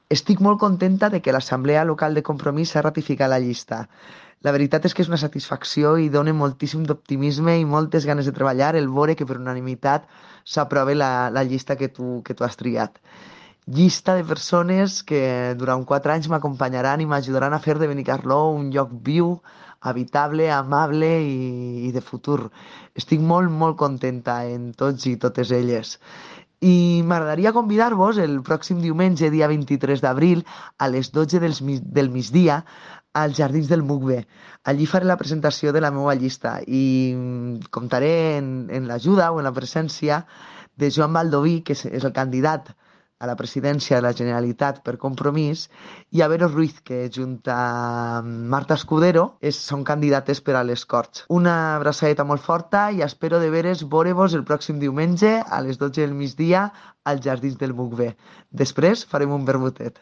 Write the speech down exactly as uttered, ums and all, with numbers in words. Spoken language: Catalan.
Estic molt contenta de que l'Assemblea Local de Compromís s'ha ratificat la llista. La veritat és que és una satisfacció i dona moltíssim d'optimisme i moltes ganes de treballar el veure que per unanimitat s'aprova la, la llista que tu, que tu has triat. Llista de persones que durant quatre anys m'acompanyaran i m'ajudaran a fer de Benicarló un lloc viu, habitable, amable i, i de futur. Estic molt, molt contenta en tots i totes elles. I m'agradaria convidar-vos el pròxim diumenge, dia vint-i-tres d'abril, a les dotze del, del migdia, als Jardins del Mugbe. Allí faré la presentació de la meva llista i mm, comptaré en, en l'ajuda o en la presència de Joan Baldoví, que és, és el candidat a la presidència de la Generalitat per Compromís, i a Vero Ruiz, que junt a Marta Escudero és, són candidates per a les Corts. Una abraçadeta molt forta i espero de veres veure-vos el pròxim diumenge a les dotze del migdia als Jardins del Mugbe. Després farem un vermutet.